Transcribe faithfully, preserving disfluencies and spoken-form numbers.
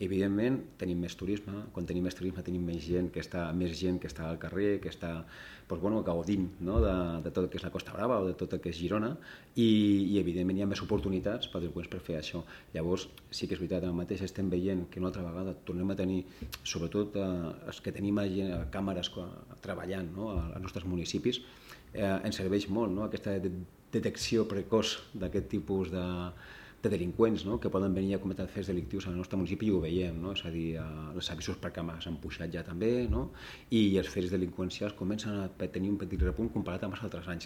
Evidentment, tenim més turisme, quan tenim més turisme tenim més gent que està, més gent que està al carrer, que està doncs, bueno, gaudint, no? de, de tot el que és la Costa Brava o de tot el que és Girona, i, i evidentment hi ha més oportunitats per delinqüents per fer això. Llavors, sí que és veritat, ara mateix estem veient que una altra vegada tornem a tenir, sobretot eh, els que tenim a, a càmeres treballant, no? als nostres municipis, eh, ens serveix molt, no? aquesta de, detecció precoç d'aquest tipus de de delinqüents, no? que poden venir a cometre fets delictius al nostre municipi, i ho veiem, no? És a dir, els avisos per càmeres han pujat ja també, no? I els fets delinqüencials comencen a tenir un petit repunt comparat amb els altres anys.